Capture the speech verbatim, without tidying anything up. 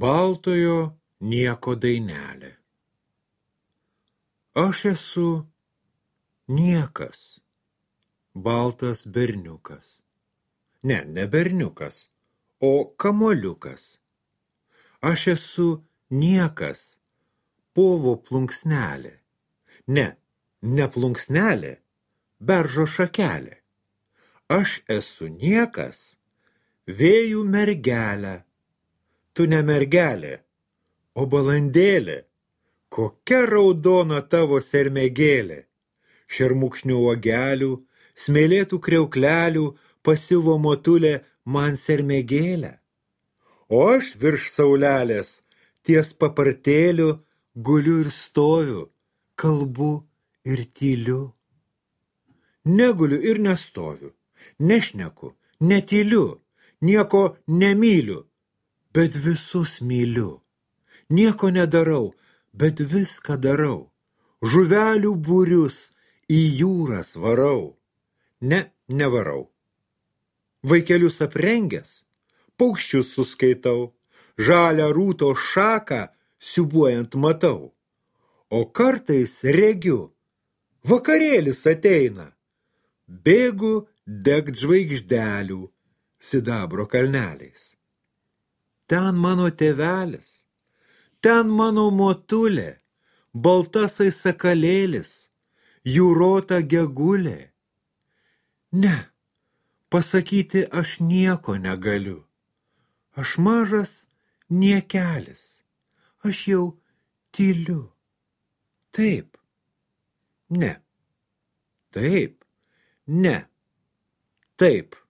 Baltojo nieko dainelė. Aš esu niekas, baltas berniukas. Ne, ne berniukas, o kamuoliukas. Aš esu niekas, povo plunksnelė. Ne, ne plunksnelė, beržo šakelė. Aš esu niekas, vėjų mergelė. Tu ne mergelė, o balandėlė. Kokia raudona tavo sermėgėlė. Šermukšnių uogelių, smėlėtų kriauklelių pasiuvo motulė man sermėgėlę. O aš virš saulelės ties papartėliu guliu ir stoviu, kalbu ir tyliu. Neguliu ir nestoviu, nešneku, netyliu, nieko nemyliu, bet visus myliu. Nieko nedarau, bet viską darau. Žuvelių būrius į jūras varau. Ne, nevarau. Vaikelius aprengęs, paukščius suskaitau, žalią rūto šaką siūbuojant matau. O kartais regiu, vakarėlis ateina. Bėgu degt žvaigždelių sidabro kalneliais. Ten mano tėvelis, ten mano motulė, baltasai sakalėlis, jūrota gegulė. Ne, pasakyti aš nieko negaliu. Aš mažas niekelis, aš jau tyliu. Taip, ne, taip, ne, taip.